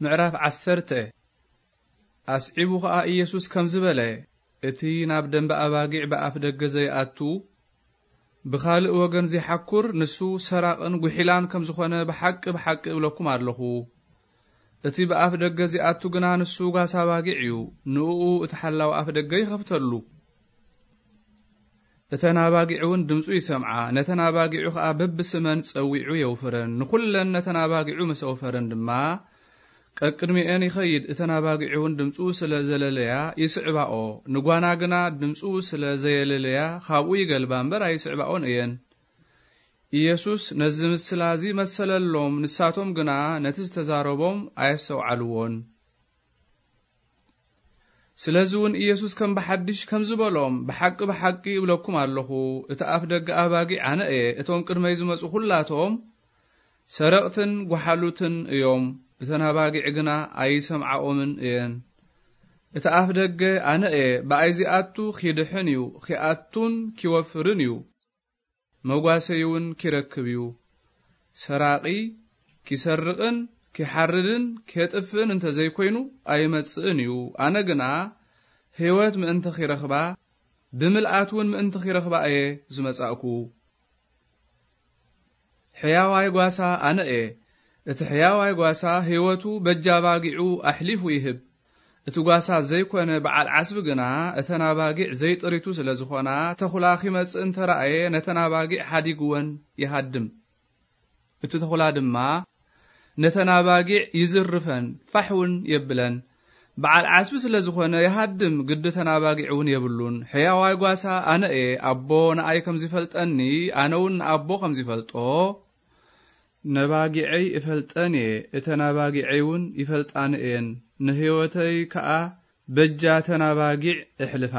ምዕራፍ ዓሰርተ። ኣስዒቡ ኸኣ ኢየሱስ ከምዚ በለ፣ እቲ ናብ ደንበ ኣባጊዕ ብኣፍ ደገ ዘይኣቱ፣ ብኻልእ ወገን ዚሓኩር፣ ንሱ ሰራቕን ጒሒላን ከም ዝኾነ ብሓቂ፣ ብሓቂ እብለኩም ኣለኹ። እቲ ብኣፍ ደገ ዚኣቱ ግና ንሱ ጓሳ ኣባጊዕ እዩ። ንእኡ እቲ ሓላው ኣፍ ደገ ይኸፍተሉ። እተን ኣባጊዕ እውን ድምፁ ይሰምዓ። ነተን ኣባጊዑ ኸኣ በብስመን ጸዊዑ የውፍረን። ንኹለን ነተን ኣባጊዑ ምስ ኣውፈረን ድማ፣ ቀቅድሚኤን ይኸይድ። እተን ኣባጊዑ እውን ድምፁ ስለ ዘለለያ ይስዕባኦ። ንጓና ግና ድምፁ ስለ ዘየለለያ፣ ካብኡ ይገልባ እምበር ኣይስዕባኦን እየን። ኢየሱስ ነዚ ምስላ እዚ መሰለሎም፣ ንሳቶም ግና ነቲ ዝተዛረቦም ኣየስተውዓልዎን። ስለዚ እውን ኢየሱስ ከም ብሓድሽ ከምዚ በሎም፣ ብሓቂ፣ ብሓቂ እብለኩም ኣለኹ፣ እቲ ኣፍ ደገ ኣባጊዕ ኣነ እየ። እቶም ቅድመይ ዝመጹ ኹላቶም ሰረቕትን ጓሓሉትን እዮም። እተን ኣባጊዕ ግና ኣይሰምዓኦምን እየን። እቲ ኣፍ ደገ ኣነ እየ። ብኣይ ዚኣቱ ኺድሕን እዩ፣ ኺኣቱን ኪወፍርን እዩ። መጓሰይ እውን ኪረክብ እዩ። ሰራቒ ኪሰርቕን ኪሓርድን ኬጥፍእን እንተ ዘይኮይኑ ኣይመጽእን እዩ። ኣነ ግና ህይወት ምእንቲ ኺረኽባ፣ ብምልኣት እውን ምእንቲ ኺረኽባ እየ ዝመጻእኩ። ሕያዋይ ጓሳ ኣነ እየ። እቲ ሕያዋይ ጓሳ ህይወቱ በጃ ኣባጊዑ ኣሕሊፉ ይህብ። እቲ ጓሳ ዘይኮነ በዓል ዓስቢ ግና እተን ኣባጊዕ ዘይጥሪቱ ስለ ዝኾና፣ ተኹላ ኺመጽእ እንተ ረኣየ፣ ነተን ኣባጊዕ ሓዲግወን ይሃድም። እቲ ተኹላ ድማ ነተን ኣባጊዕ ይዝርፈን፣ ፋሕ እውን የብለን። በዓል ዓስቢ ስለ ዝኾነ ይሃድም፣ ግዲ እተን ኣባጊዕ እውን የብሉን። ሕያዋይ ጓሳ ኣነ እየ፣ ኣቦ ንኣይ ከም ዚፈልጠኒ፣ ኣነ እውን ንኣቦ ከም ዚፈልጦ፣ ነባጊዐይ እፈልጠን እየ፣ እተን ኣባጊዐይ እውን ይፈልጣኒ እየን፣ ንህይወተይ ከኣ በጃ እተን ኣባጊዕ እሕልፋ።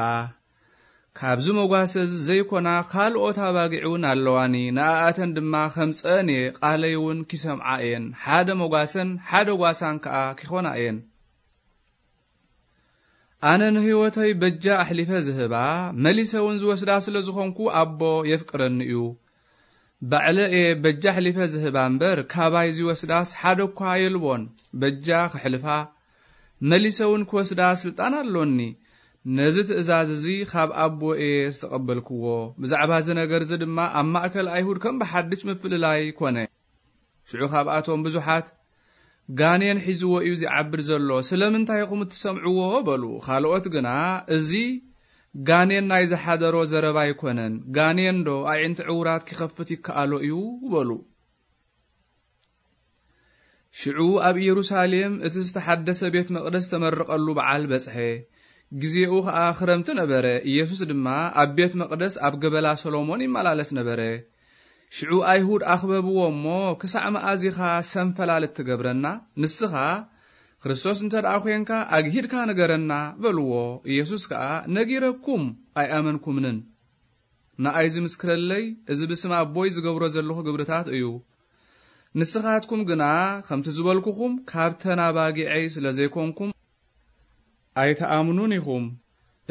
ካብዚ መጓሰ እዚ ዘይኮና ካልኦት ኣባጊዕ እውን ኣለዋኒ፣ ንኣኣተን ድማ ከምጽአን እየ፣ ቃለይ እውን ኪሰምዓ እየን፣ ሓደ መጓሰን ሓደ ጓሳን ከኣ ኪኾና እየን። ኣነ ንህይወተይ በጃ ኣሕሊፈ ዝህባ፣ መሊሰ እውን ዝወስዳ ስለ ዝኾንኩ፣ ኣቦ የፍቅረኒ እዩ። ባዕለ እየ በጃ ኣሕሊፈ ዝህባ እምበር፣ ካባይ ዝወስዳስ ሓደ እኳ የልቦን። በጃ ክሕልፋ፣ መሊሰ እውን ክወስዳ ስልጣን ኣሎኒ። ነዚ ትእዛዝ እዚ ኻብ ኣቦ እየ ዝተቐበልክዎ። ብዛዕባ እዚ ነገር እዚ ድማ ኣብ ማእከል ኣይሁድ ከም ብሓድሽ ምፍልላይ ኮነ። ሽዑ ካብኣቶም ብዙሓት፣ "ጋኔን ሒዝዎ እዩ ዚዓብድ ዘሎ፣ ስለምንታይ ኢኹም እትሰምዕዎ?" በሉ። ካልኦት ግና፣ "እዚ ጋኔን ናይ ዝሓደሮ ዘረባ ኣይኮነን፣ ጋኔን ዶ ኣዒንቲ ዕዉራት ኪኸፍት ይከኣሎ እዩ?" በሉ። ሽዑ ኣብ ኢየሩሳሌም እቲ ዝተሓደሰ ቤት መቕደስ ተመርቐሉ በዓል በጽሐ። ግዜኡ ኸኣ ክረምቲ ነበረ። ኢየሱስ ድማ ኣብ ቤት መቕደስ ኣብ ገበላ ሰሎሞን ይመላለስ ነበረ። ሽዑ ኣይሁድ ኣኽበብዎ እሞ፣ "ክሳዕ መኣዝ ኢኻ ሰንፈላልት ትገብረና? ንስኻ ክርስቶስ እንተ ደኣ ኾንካ፣ ኣግሂድካ ንገረና" በልዎ። ኢየሱስ ከኣ፣ "ነጊረኩም ኣይኣመንኩምንን። ንኣይ ዝምስክረለይ፣ እዚ ብስም ኣቦይ ዝገብሮ ዘለኹ ግብርታት እዩ። ንስኻትኩም ግና፣ ከምቲ ዝበልኩኹም፣ ካብተን ኣባጊዐይ ስለ ዘይኮንኩም፣ ኣይትኣምኑን ኢኹም።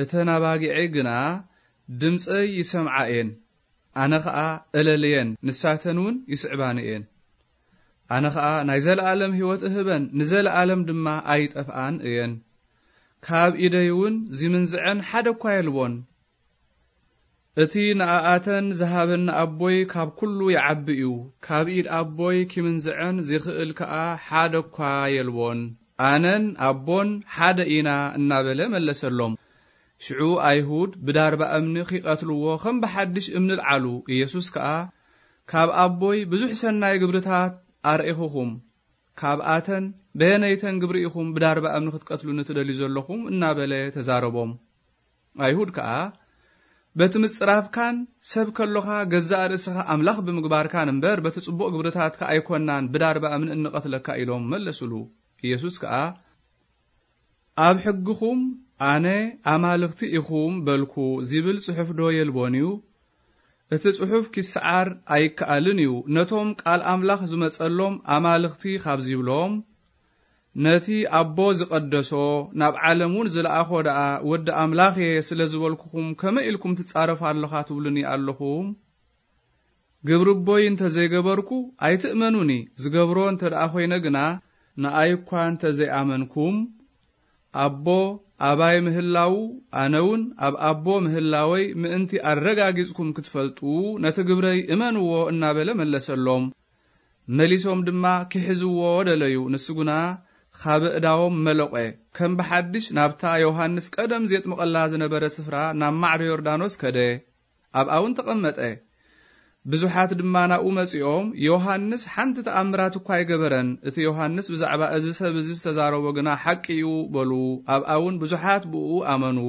እተን ኣባጊዐይ ግና ድምፀይ ይሰምዓ እየን፣ ኣነ ኸኣ እለልየን፣ ንሳተን እውን ይስዕባኒ እየን። ኣነ ኸኣ ናይ ዘለኣለም ህይወት እህበን፣ ንዘለኣለም ድማ ኣይጠፍኣን እየን። ካብ ኢደይ እውን ዚምንዝዐን ሓደ እኳ የልቦን። እቲ ንኣኣተን ዝሃበኒ ኣቦይ ካብ ኩሉ ይዓቢ እዩ። ካብ ኢድ ኣቦይ ኪምንዝዐን ዚኽእል ከኣ ሓደ እኳ የልቦን። ኣነን ኣቦን ሓደ ኢና እናበለ መለሰሎም። ሽዑ ኣይሁድ ብዳርባ እምኒ ኺቐትልዎ ኸም ብሓድሽ እምኒ ኣልዓሉ። ኢየሱስ ከኣ፣ "ካብ ኣቦይ ብዙሕ ሰናይ ግብርታት ኣርኢኹኹም፣ ካብኣተን በየነይተን ግብሪ ኢኹም ብዳርባ እምኒ ክትቀትሉኒ ትደልዩ ዘለኹም?" እናበለ ተዛረቦም። ኣይሁድ ከኣ፣ "በቲ ምጽራፍካን ሰብ ከሎኻ ገዛእ ርእስኻ ኣምላኽ ብምግባርካን እምበር፣ በቲ ጽቡቕ ግብርታትካ ኣይኮናን ብዳርባ እምኒ እንቐትለካ" ኢሎም መለሱሉ። ኢየሱስ ከኣ፣ "ኣብ ሕግኹም ኣነ ኣማልኽቲ ኢኹም በልኩ ዚብል ጽሑፍ ዶ የልቦን እዩ? እቲ ጽሑፍ ኪሰዓር ኣይከኣልን እዩ። ነቶም ቃል ኣምላኽ ዝመጸሎም ኣማልኽቲ ካብ ዚብሎም፣ ነቲ ኣቦ ዝቐደሶ፣ ናብ ዓለም እውን ዝለኣኾ ደኣ ወዲ ኣምላኽ እየ ስለ ዝበልኩኹም፣ ከመይ ኢልኩም ትጻረፉ ኣለኻ ትብሉኒ ኣለኹም? ግብሪ ኣቦይ እንተ ዘይገበርኩ ኣይትእመኑኒ፣ ዝገብሮ እንተ ደኣ ኾይነ ግና፣ ንኣይ እኳ እንተ ዘይኣመንኩም፣ ኣቦ ኣባይ ምህላዉ፣ ኣነ እውን ኣብ ኣቦ ምህላወይ ምእንቲ ኣረጋጊጽኩም ክትፈልጡ፣ ነቲ ግብረይ እመንዎ እናበለ መለሰሎም። መሊሶም ድማ ኪሕዝዎ ደለዩ። ንሱ ግና ካብ እዳዎም መለቆ። ከም ብሓድሽ ናብታ ዮሃንስ ቀደም ዜጥምቐላ ዝነበረ ስፍራ ናብ ማዕዶ ዮርዳኖስ ከደ። ኣብኣ እውን ተቐመጠ። ብዙሓት ድማ ናብኡ መጺኦም፣ "ዮሃንስ ሓንቲ ተኣምራት እኳ ኣይገበረን። እቲ ዮሃንስ ብዛዕባ እዚ ሰብ እዚ ዝተዛረቦ ግና ሓቂ እዩ" በሉ። ኣብኣ እውን ብዙሓት ብኡ ኣመኑ።